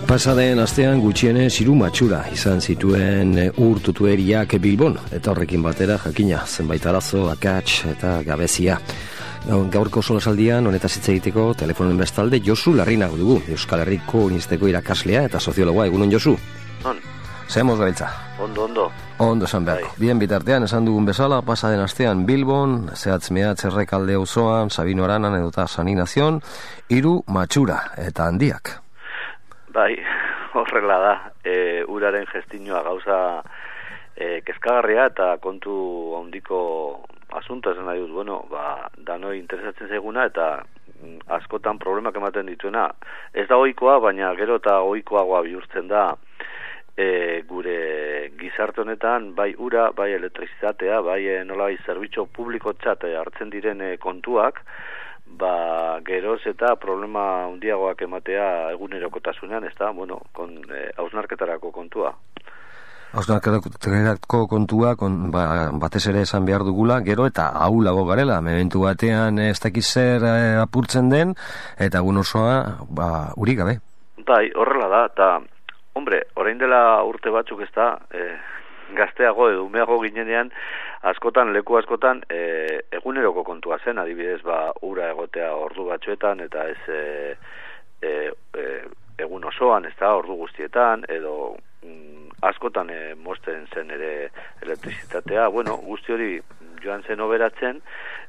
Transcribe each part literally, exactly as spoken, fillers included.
Pasaden astean gutxienez hiru matxura izan zituen ur tutueriak Bilbon, eta horrekin batera jakina zenbait arazo, akats eta gabezia. Gaurko solasaldian honetaz hitz egiteko telefonoen bestalde Josu Larrinago dugu, Euskal Herriko Unibertsitateko irakaslea eta soziologoa. Egunon, Josu? On. Zemoz gabiltza? Ondo, ondo. Ondo esan beharko. Bien bitartean, esan dugun bezala, pasaden astean Bilbon, zehatz mehatz Errekalde auzoan, Sabino Aranan edota San Ignazion, hiru matxura eta handiak. Bai, horrela da, e, uraren gestinua gauza e, kezkagarria eta kontu handiko asunto esan nahi dut, bueno, ba, danoi interesatzen zaiguna eta askotan problemak ematen dituena. Ez da ohikoa, baina gero eta ohikoagoa bihurtzen da e, gure gizarte honetan, bai ura, bai elektrizitatea, bai e, nola bai zerbitzu publikotzat hartzen diren e, kontuak, ba, geroz eta problema handiagoak ematea egunerokotasunean, ez da, bueno, kon, e, hausnarketarako kontua. Hausnarketarako kontua, kon, ba, batez ere esan behar dugula, gero eta ahulago garela, mementu batean ez dakiz zer e, apurtzen den, eta egun osoa, ba, uri gabe. Bai, horrela da, eta, hombre, orain dela urte batzuk ez da, e, gazteago edo umeago ginenean, askotan, leku askotan, e, eguneroko kontua zen, adibidez, ba, ura egotea ordu batzuetan, eta ez e, e, e, egun osoan, ez da, ordu guztietan, edo mm, askotan e, mozten zen ere elektrizitatea, bueno, guzti hori joan zen oberatzen,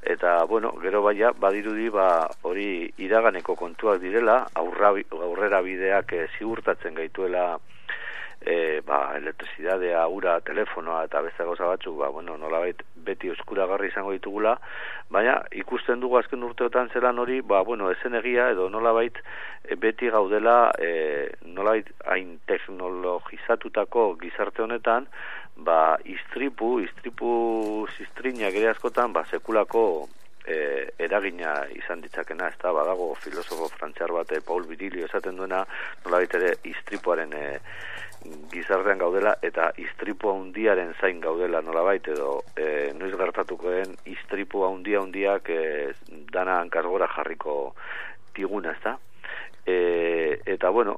eta, bueno, gero baia, badirudi, ba, hori iraganeko kontuak direla, aurra, aurrera bideak e, ziurtatzen gaituela, E, ba, elektrizidadea, ura, telefonoa eta beste gauza batzuk, ba, bueno, nolabait beti eskuragarri izango ditugula, baina ikusten dugu azken urteotan zelan hori, ba, bueno, esen egia edo nolabait e, beti gaudela e, nolabait hain teknologizatutako gizarte honetan, ba, istripu, istripu zistrinak ere askotan, ba, sekulako E, eragina izan ditzakena, ez da, badago filosofo frantziar bat, Paul Virilio esaten duena, nolabait ere istripuaren e, gizartean gaudela eta istripu handiaren zain gaudela nolabait, edo e, noiz gertatuko den istripu handia handiak e, dana hankasgora jarriko diguna, ez da? E, eta bueno,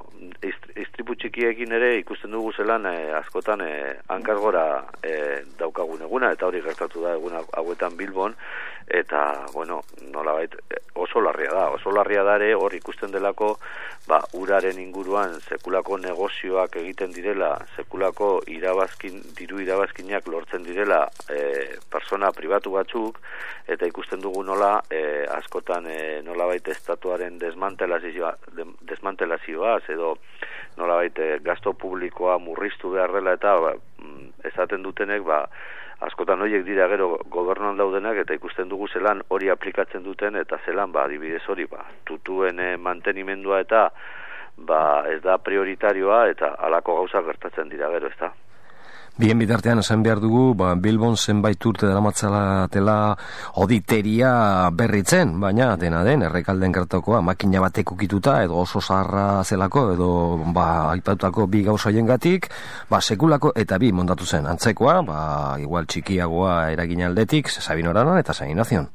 istripu txikiekin ere ikusten dugu zelan e, askotan e, hankasgora e, daukagun eguna, eta hori gertatu da egun hauetan Bilbon, eta, bueno, nolabait oso larria da, oso larria da ere hor ikusten delako, ba, uraren inguruan sekulako negozioak egiten direla, sekulako irabazkin, diru irabazkinak lortzen direla e, persona pribatu batzuk, eta ikusten dugu nola e, askotan e, nolabait estatuaren desmantelazioa, desmantelazioaz, edo nolabait e, gasto publikoa murriztu behar dela, eta ba, esaten dutenek, ba, askotan horiek dira gero gobernuan daudenak, eta ikusten dugu zelan hori aplikatzen duten, eta zelan, ba, adibidez hori, ba, tutuen e, mantenimendua eta ba, ez da prioritarioa, eta halako gauza gertatzen dira gero, ez da. Bien bitartean esan behar dugu, ba, Bilbon zenbait urte daramatzatela oditeria berritzen, baina dena den, Errekalden gertakoa makina batek ukituta, edo oso zaharra zelako, edo ba, aipatutako bi gauza hoiengatik, ba, sekulako eta bi montatu zen. Antzekoa, ba, igual txikiagoa eragin aldetik, Sabino Aranan eta San Ignazion.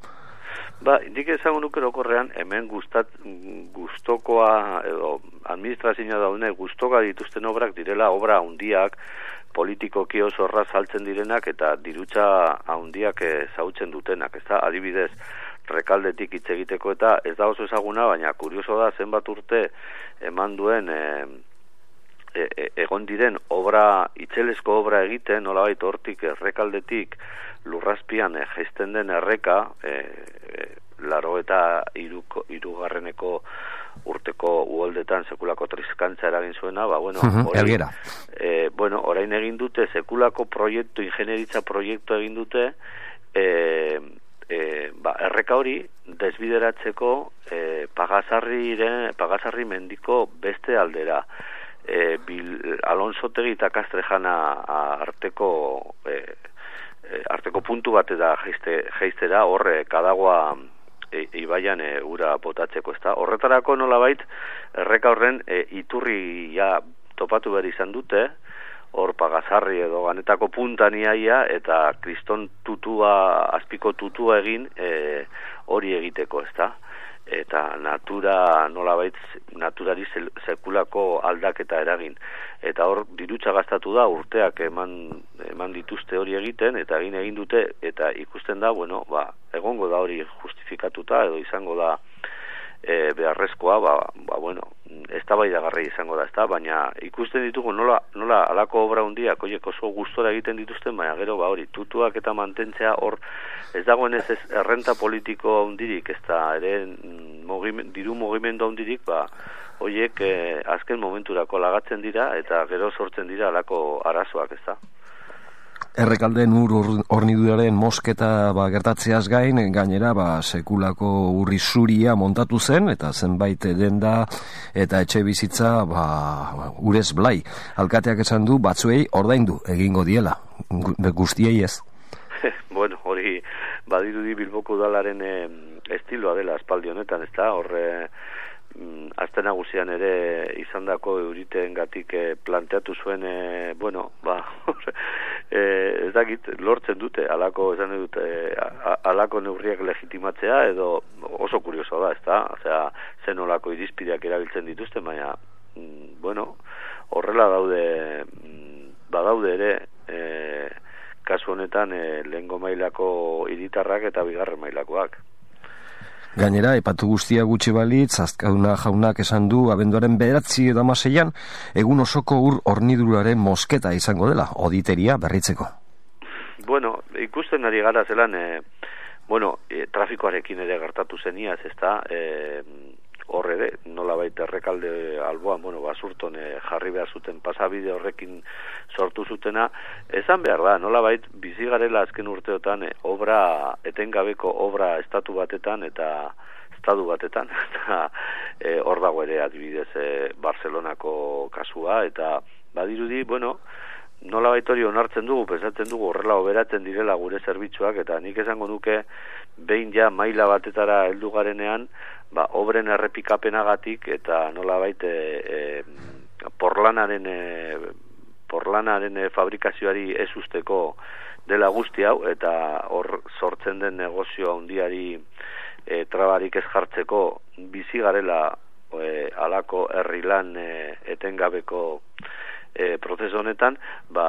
Ba, indik ezagun ukerokorrean, hemen gustat, gustokoa, edo administrazioa daune, gustoka dituzten obrak direla, obra handiak, politikoki oso horra saltzen direnak eta dirutza handiak zautzen dutenak, ez da, adibidez, Rekaldetik hitz egiteko eta ez da oso ezaguna, baina kurioso da zenbat urte eman duen e, e, e, egon diren obra, itzelesko obra egiten, nolabait hortik Errekaldetik lurrazpian e, jaisten den erreka, e, e, laro eta iruko, irugarreneko urteko uholdetan sekulako trizkantza eragin zuena, ba, bueno, uh-huh, orain, e, bueno, orain egin dute sekulako proiektu, ingenieritza proiektu egin dute, e, e, ba, erreka hori desbideratzeko e, Pagasarri, Pagasarri mendiko beste aldera. E, Bil, Alonsotegi eta Kastrejana arteko e, e, arteko puntu bat da jaiste, jaistera, horre kadagoa E, ibaian e, ura botatzeko, ezta. Horretarako nolabait erreka horren e, iturri ja topatu behar izan dute, hor Pagasarri edo ganetako puntan iaia, eta kriston tutua, azpiko tutua egin e, hori egiteko, ezta. eta natura nolabait naturari sekulako aldaketa eragin. Eta hor dirutza gastatu da, urteak eman eman dituzte hori egiten, eta egin egin dute, eta ikusten da, bueno, ba, egongo da hori justifikatuta, edo izango da e, beharrezkoa, ba, ba bueno, eztabaidagarri izango da, ezta, baina ikusten ditugu nola, nola alako obra hundiak, oiek oso gustora egiten dituzten, baina gero, ba hori, tutuak eta mantentzea hor, ez dagoen ez ez errenta politiko hundirik, ez da, ere mogimen, diru mugimendu hundirik, ba, oiek eh, azken momenturako lagatzen dira, eta gero sortzen dira alako arazoak, ez da. Errekalden ur horniduraren mosketa ba, gertatzeaz gain, gainera ba, sekulako urri zuria montatu zen, eta zenbait denda eta etxe bizitza ba, urez blai. Alkateak esan du batzuei ordaindu egingo diela, guztiei ez. Bueno, hori badirudi Bilboko udalaren eh, estiloa dela aspaldi honetan, ez da, horre azte nagusian ere izandako euriteengatik eh, planteatu zuen, eh, bueno, ba, eh, ez dakit, lortzen dute, alako, esan dute, eh, alako neurriak legitimatzea, edo oso kurioso da, ez da, osea, zen olako irizpideak erabiltzen dituzte, baina, mm, bueno, horrela daude, mm, badaude ere, eh, kasu honetan, eh, lehengo mailako hiritarrak eta bigarren mailakoak. Gainera, epatu guztia gutxi balitz, Azkauna jaunak esan du abenduaren bederatzi edo amaseian, egun osoko ur horniduraren mosketa izango dela, oditeria berritzeko. Bueno, ikusten ari gara zelan, e, bueno, e, trafikoarekin ere gertatu zeniaz, ez da, e, horre de, nola baita Errekalde alboan, bueno, basurton e, jarri behar zuten pasabide horrekin sortu zutena, esan behar da, nola bait, bizigarela azken urteotan e, obra, etengabeko obra estatu batetan eta estatu batetan, eta e, hor dago ere adibidez e, Barcelonako kasua, eta badirudi, bueno, nola bait hori onartzen dugu, pensatzen dugu horrela oberatzen direla gure zerbitzuak, eta nik esango nuke, behin ja maila batetara heldu garenean, ba, obren errepikapenagatik eta nolabait e, e, porlanaren e, porlanaren e, fabrikazioari ez usteko dela guzti hau, eta hor sortzen den negozio handiari e, trabarik ez jartzeko bizi garela e, alako herri lan e, etengabeko e, prozesu honetan, ba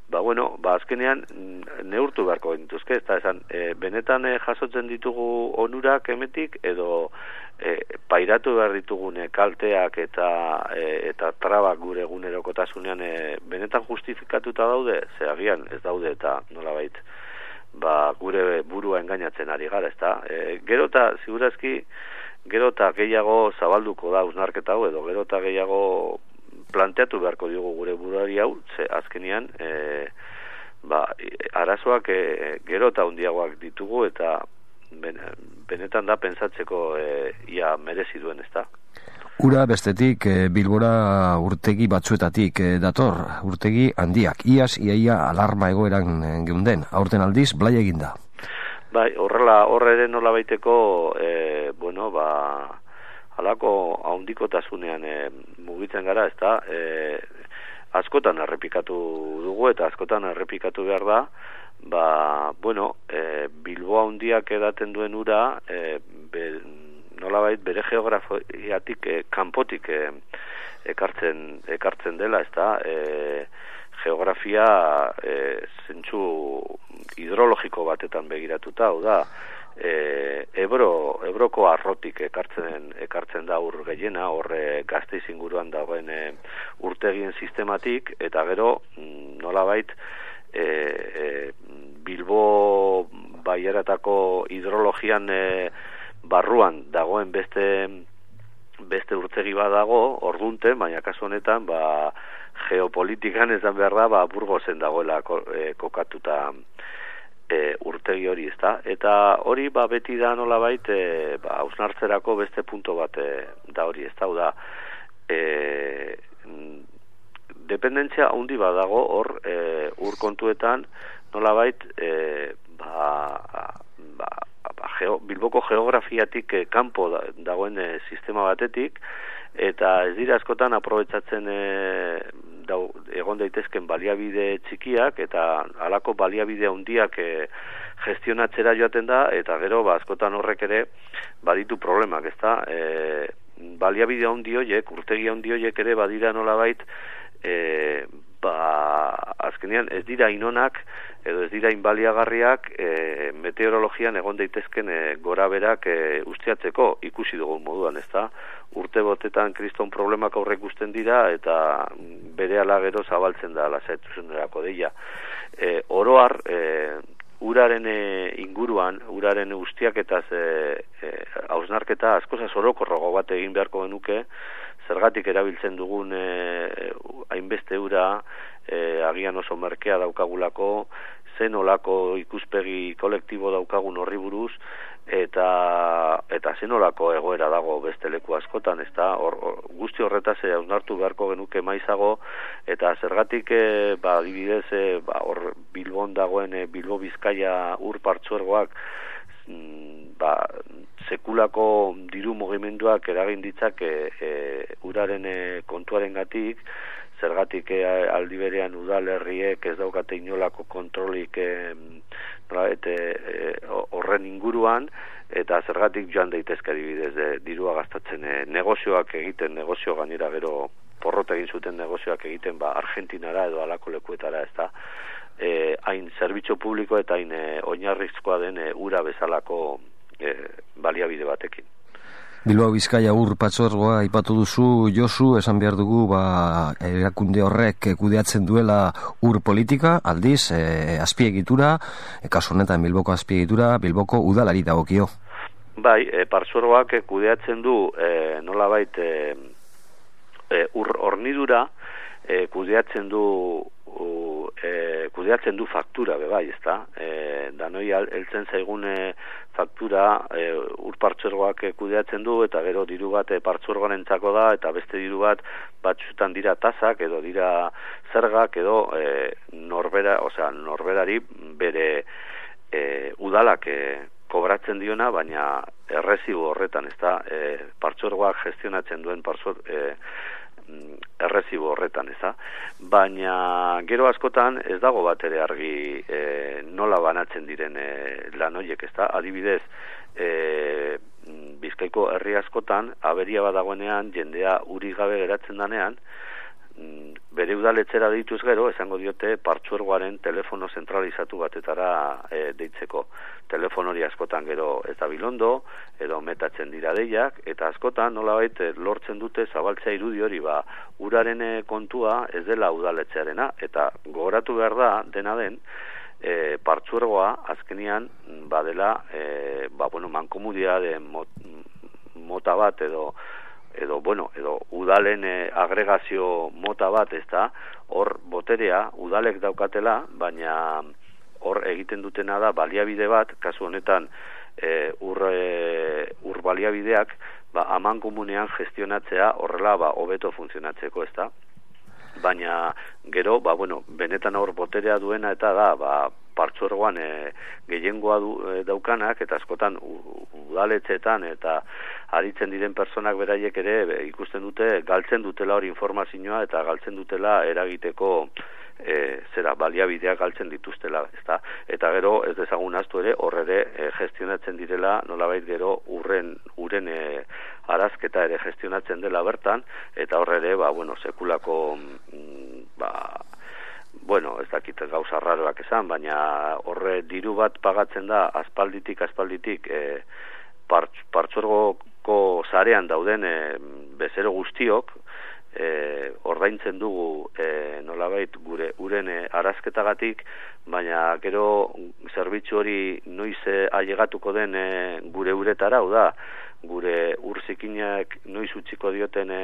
Ba, bueno, ba, azkenean neurtu beharko gintuzke, ez da, esan, e, benetan e, jasotzen ditugu onurak emetik, edo e, pairatu behar ditugune kalteak eta e, eta trabak gure egunerokotasunean e, benetan justifikatuta daude, ze agian ez daude eta nolabait, ba, gure burua engainatzen ari gara, ez da. E, gero eta, segurazki, gero eta gehiago zabalduko da usnarketa hau, edo gero eta gehiago planteatu beharko diogu gure buruari hau, ze azkenian e, ba, arazoak e, gero eta hundiagoak ditugu, eta ben, benetan da pentsatzeko e, ia merezi duen, ez da. Ura bestetik e, Bilbora urtegi batzuetatik e, dator, urtegi handiak, iaz iaia alarma egoeran e, geunden, aurten aldiz blai eginda. Bai, horrela, horre ere nola baiteko, e, bueno, ba, alako haundikotasunean e, mugitzen gara, ez da, e, askotan errepikatu dugu eta askotan errepikatu behar da, ba, bueno, e, Bilboa handiak edaten duen ura, e, be, nolabait bere geografiatik e, kanpotik e, ekartzen, ekartzen dela, ez da, e, geografia e, zentsu hidrologiko batetan begiratuta, hau da, E, Ebro, Ebroko arrotik ekartzen ekartzen da ur gehiena, horre Gasteiz inguruan dagoen e, urtegien sistematik, eta gero nolabait e, e, Bilbo Baieratako hidrologian e, barruan dagoen beste beste urtegi bat dago, ordunte, baina kasu honetan ba, geopolitikan esan behar da, ba, Burgosen dagoela ko, e, kokatuta E, urtegi hori, ez da, eta hori ba, beti da nolabait e, ba, hausnartzerako beste punto bat e, da hori, ez da, da e, dependentzia handi bat dago hor e, ur kontuetan nolabait e, ba, ba, ba, geo, Bilboko geografiatik e, kanpo da, dagoen e, sistema batetik, eta ez dira askotan aprobetsatzen e, dau, egon daitezken baliabide txikiak, eta halako baliabide handiak e, gestionatzera joaten da, eta gero ba, askotan horrek ere baditu problemak, ezta? E, baliabide handi horiek, urtegi handi horiek ere badira nolabait, e, ba, azkenean ez dira inonak, edo ez dira inbaliagarriak e, meteorologian egon daitezken e, gora berak e, ustiatzeko ikusi dugun moduan, ezta? Urte botetan kriston problemak aurre ikusten dira eta berehala gero zabaltzen da lasaitu deia. E, oroar, e, uraren e, inguruan, uraren ustiaketaz e, e, hausnarketa askozaz orokorrago bat egin beharko genuke, zergatik erabiltzen dugun e, hainbeste ura, e, agian oso merkea daukagulako, zen olako ikuspegi kolektibo daukagun horri buruz, eta eta zen olako egoera dago beste leku askotan, ezta? Hor, hor, guzti horretaz e, hausnartu beharko genuke maizago, eta zergatik e, ba, adibidez, e, ba, hor Bilbon dagoen e, Bilbo Bizkaia ur partzuergoak ba, sekulako diru mugimenduak eragin ditzak e, e, uraren e, kontuaren gatik, zergatik e, aldi berean udalerriek ez daukate inolako kontrolik e, eta horren inguruan, eta zergatik joan daitezke adibidez e, dirua gastatzen e, negozioak egiten, negozio gainera gero porrot egin zuten negozioak egiten ba, Argentinara edo alako lekuetara, ez da, e, hain zerbitzu publiko eta hain e, oinarrizkoa den e, ura bezalako e, baliabide batekin. Bilbao Bizkaia ur patzuergoa aipatu duzu, Josu, esan behar dugu ba, erakunde horrek kudeatzen duela ur politika, aldiz, e, azpiegitura, e, kasu honetan Bilboko azpiegitura, Bilboko udalari dagokio. Bai, e, partzuergoak kudeatzen du e, nolabait e, e, ur hornidura, e, kudeatzen du u, e, kudeatzen du faktura be bai, ezta? E, danoi heltzen zaigun e, faktura e, ur partzuergoak e, kudeatzen du, eta gero diru bat e, partzuergoarentzako da, eta beste diru bat batzutan dira tasak edo dira zergak edo e, norbera, osea, norberari bere e, udalak e, kobratzen diona, baina errezibo horretan, ezta? E, partzuergoak gestionatzen duen partzuer e, errezibo horretan, eza. Baina gero askotan ez dago bat ere argi e, nola banatzen diren e, lan horiek, ezta. Adibidez, e, Bizkaiko herri askotan aberia badagoenean jendea uri gabe geratzen danean, bere udaletxera deituz gero, esango diote partzuergoaren telefono zentralizatu batetara e, deitzeko. Telefono hori askotan gero ez da bilondo, edo metatzen dira deiak, eta askotan nolabait lortzen dute zabaltzea irudi hori, ba, uraren kontua ez dela udaletxearena, eta gogoratu behar da, dena den, e, partzuergoa azkenian badela, e, ba, bueno, mankomudiade mot, mota bat edo edo, bueno, edo udalen e, agregazio mota bat, ez da, hor boterea udalek daukatela, baina hor egiten dutena da baliabide bat, kasu honetan e, ur, e, ur baliabideak, ba, aman komunean gestionatzea horrela ba, hobeto funtzionatzeko, ez da. Baina gero, ba, bueno, benetan hor boterea duena eta da, ba, partzuergoan e, gehiengoa du, e, daukanak, eta askotan udaletxeetan eta aritzen diren personak beraiek ere be, ikusten dute, galtzen dutela hori informazioa eta galtzen dutela eragiteko e, zera, baliabideak galtzen dituztela, ezta? Eta gero ez dezagun ahaztu ere, horre ere e, gestionatzen direla, nolabait gero urren, uren e, arazketa ere gestionatzen dela bertan, eta horre ere, ba, bueno, sekulako ba, bueno, ez dakit gauza raroak esan, baina horre diru bat pagatzen da aspalditik, aspalditik e, parts, partzuergoko sarean dauden e, bezero guztiok, e, ordaintzen dugu e, nolabait gure uren e, arazketagatik, baina gero zerbitzu hori noiz e, ailegatuko den e, gure uretara, hau da, gure urzikinak noiz utziko dioten e,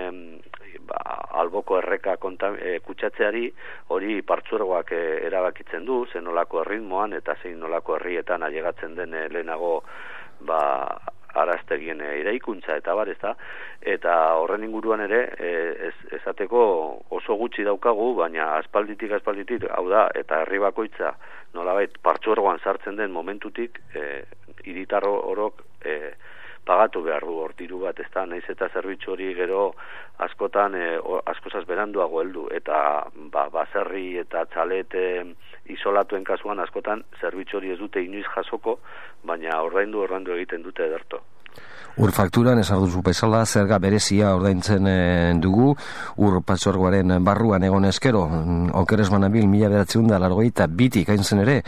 ba, alboko erreka konta, e, kutsatzeari, hori partzuergoak e, erabakitzen du, zen nolako erritmoan eta zein nolako herrietan ailegatzen den e, lehenago ba, araztegien e, eraikuntza eta bar, ezta? Eta horren inguruan ere e, ez, ezateko oso gutxi daukagu, baina aspalditik aspalditik, hau da, eta herri bakoitza nolabait partzuergoan sartzen den momentutik e, hiritar orok e, pagatu behar du hor diru bat, ez da, naiz eta zerbitzu hori gero askotan e, askozaz beranduago heldu, eta ba, baserri eta txalet e, isolatuen kasuan askotan zerbitzu hori ez dute inoiz jasoko, baina ordaindu ordaindu egiten dute ederto. Ur fakturan esarduzu bezala zerga berezia ordaintzen e, dugu ur patxorgoaren barruan egon eskero okeres manabil mila bederatziehun eta laurogeita bitik hain zen ere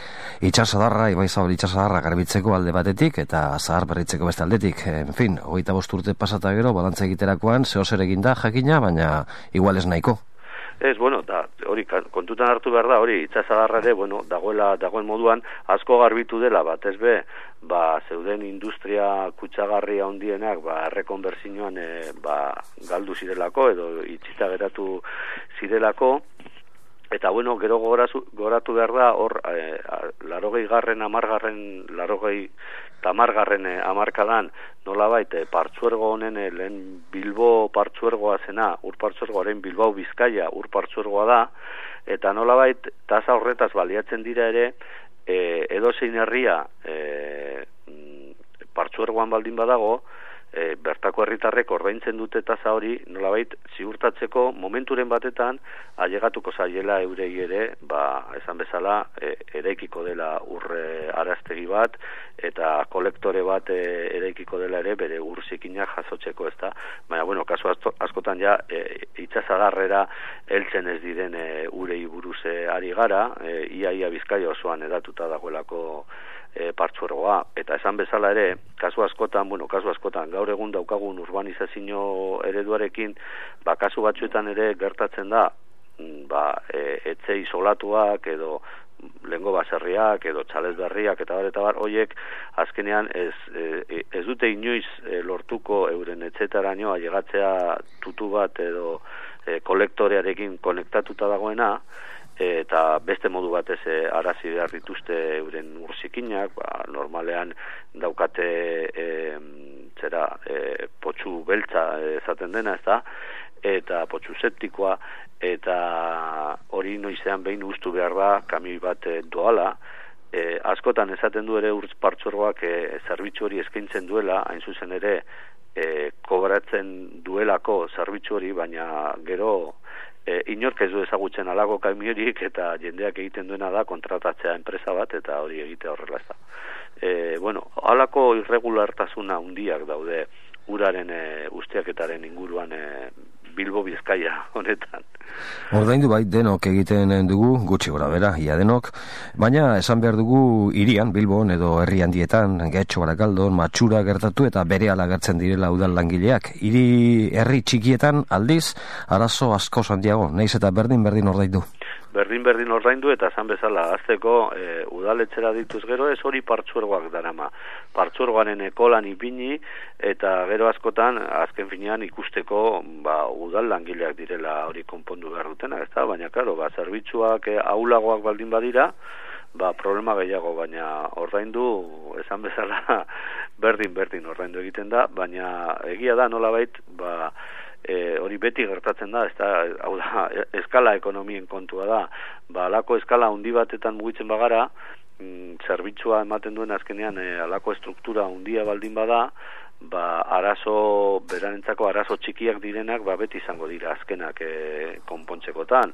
itxasadarra, Ibai Zabal itxasadarra garbitzeko alde batetik eta zahar berritzeko beste aldetik. En fin, hogeita bost urte pasata gero balantza egiterakoan zehozer eginda jakina, baina igual ez nahiko. Ez, bueno, da, hori kontutan hartu behar da, hori itxasadarra ere, bueno, dagoela, dagoen moduan asko garbitu dela, bat ez be, ba, zeuden industria kutsagarria handienak, ba, errekonbertsioan e, ba, galdu zirelako edo itxita geratu zirelako, eta bueno, gero gorazu, goratu behar da, hor, e, larogei garren, amargarren, larogei tamargarren e, amarkadan, nolabait, e, partzuergo honen, e, lehen Bilbo partzuergoa zena, ur partzuergoaren Bilbao Bizkaia ur partzuergoa da, eta nolabait, tasa horretaz baliatzen dira ere, e, edozein herria e, partzuergoan baldin badago, e, bertako herritarrek ordaintzen dute tasa hori, nolabait ziurtatzeko momenturen batetan ailegatuko zaiela eurei ere, ba, esan bezala, e, eraikiko dela urre araztegi bat, eta kolektore bat e, eraikiko dela ere bere ur zikinak jasotzeko, ezta. Baina, bueno, kasu askotan ja, e, itxasadarrera heltzen ez diren e, urei buruz e, ari gara, e, ia ia Bizkaia osoan edatuta dagoelako E, partzuergoa, eta esan bezala ere, kasu askotan, bueno, kasu askotan, gaur egun daukagun urbanizazio ereduarekin, ba, kasu batzuetan ere gertatzen da, ba, e, etxe isolatuak, edo lengo baserriak, edo txalez berriak, eta bar, eta bar, hoiek, azkenean, ez, e, ez dute inoiz e, lortuko euren etxetaraino ailegatzea tutu bat, edo e, kolektorearekin konektatuta dagoena, eta beste modu batez e, arazi behar dituzte euren urzikinak, ba, normalean daukate e, zera e, potxu beltza esaten dena, ez da, eta potxu septikoa, eta hori noizean behin ustu behar da kamioi bat e, doala, e, askotan esaten du ere urtz partzuergoak e, zerbitzu hori eskaintzen duela, hain zuzen ere e, kobratzen duelako zerbitzu hori, baina gero E, inork ez du ezagutzen alako kamiorik eta jendeak egiten duena da kontratatzea enpresa bat eta hori egitea horrela ez da. E, bueno, alako irregulartasuna handiak daude uraren e, ustiaketaren inguruan e, Bilbo Bizkaia honetan. Ordaindu bai denok egiten dugu, gutxi gora bera, ia denok, baina esan behar dugu hirian, Bilbon edo herri handietan, Getxo, Barakaldon, Matxura gertatu eta berehala gertzen direla udal langileak. Hiri herri txikietan aldiz, arazo asko handiago, naiz eta berdin-berdin ordaindu. Berdin-berdin ordaindu eta esan bezala azteko e, udaletxera dituz gero ez hori partzuergoak darama. Partzuergoaren ekolan ipini eta gero askotan azken finean ikusteko ba, udal langileak direla hori konpondu behar dutena, ez da? Baina, klaro, ba, zerbitzuak e, ahulagoak baldin badira, ba, problema gehiago, baina ordaindu, esan bezala, berdin-berdin ordaindu egiten da, baina egia da nolabait, ba, E, hori beti gertatzen da, ez da, hau da, eskala ekonomien kontua da, ba, alako eskala handi batetan mugitzen bagara, mm, zerbitzua ematen duen azkenean, e, alako estruktura handia baldin bada, ba, arazo, beranentzako arazo txikiak direnak, ba, beti izango dira azkenak e, konpontzekotan,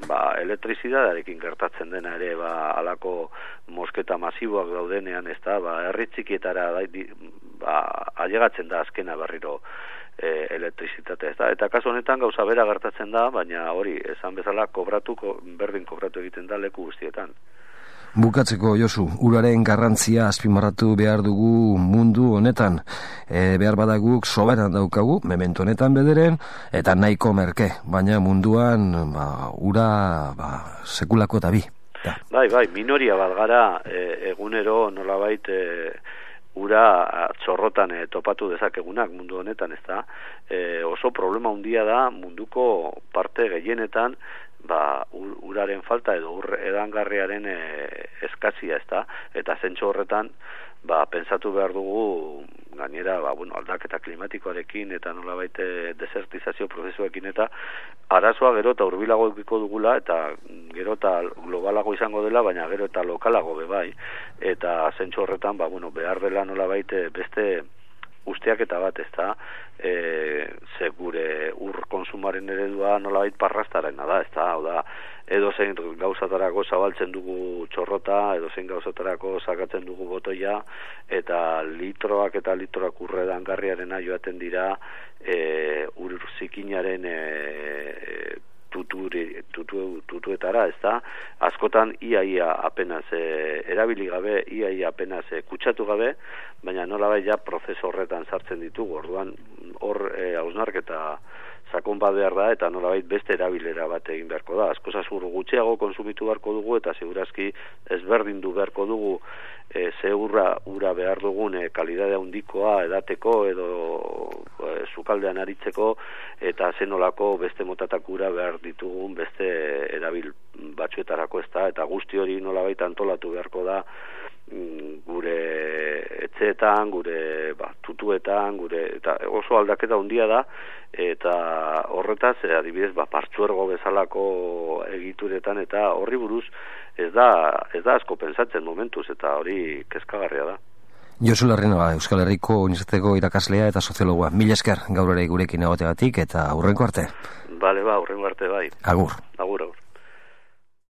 ba, elektrizidadearekin gertatzen dena ere, ba, alako mosketa masiboak daudenean, ez da, ba, herri txikietara, ba, ailegatzen da azkena berriro, E, elektrizitatea, ez da, eta kasu honetan gauza bera gertatzen da, baina hori, esan bezala, kobratu, berdin kobratu egiten da leku guztietan. Bukatzeko, Josu, uraren garrantzia azpimarratu behar dugu mundu honetan. E, behar badaguk soberan daukagu, memento honetan bederen, eta nahiko merke, baina munduan ba, ura ba, sekulako eta bi. Ja. Bai, bai, minoria bat gara, e, egunero nolabait e, ura txorrotan e, topatu dezakegunak mundu honetan, ez da, e, oso problema handia da munduko parte gehienetan, ba, uraren falta edo ur edangarriaren e, eskazia, ez da, eta zentxo horretan, ba, pensatu behar dugu, gainera, ba, bueno, aldaketa klimatikoarekin eta nolabait desertizazio prozesuekin eta arazoa gero eta hurbilago edukiko dugula eta gero eta globalago izango dela, baina gero eta lokalago be bai, eta zentzu horretan, ba, bueno, behar dela nolabait beste ustiaketa bat, ez da, e, ze gure ur konsumaren eredua nolabait parrastarena da, ez da, hau da, edo zein gauzatarako zabaltzen dugu txorrota, edo zein gauzatarako sakatzen dugu botoia, eta litroak eta litroak urredan garriarena joaten dira e, ur zikinaren e, tuturi, tutu, tutuetara, ez da, askotan iaia apenas e, erabili gabe, iaia apenas e, kutsatu gabe, baina nolabait ja prozesu horretan sartzen ditugu, orduan hor e, hausnarketa sakon bat behar da, eta nolabait beste erabilera bat egin beharko da. Asko zasur gutxiago konsumitu beharko dugu, eta segurazki ezberdindu beharko dugu e, ze urra, ura behar dugun e, kalidadea handikoa edateko edo e, sukaldean aritzeko, eta zenolako beste motatak ura behar ditugun beste erabil batzuetarako, ez da, eta guzti hori nolabait antolatu beharko da gure etxeetan, gure ba, tutuetan, gure eta oso aldaketa handia da, eta horretaz, adibidez, ba, partzuergo bezalako egituretan, eta horri buruz ez da, ez da asko pentsatzen momentuz, eta hori kezkagarria da. Josu Larrinoa, Euskal Herriko Unibertsitateko irakaslea eta soziologoa. Mila esker gaur ere gurekin egoteagatik, eta aurrengo arte. Bale, ba, aurrengo arte bai. Agur. Agur, agur.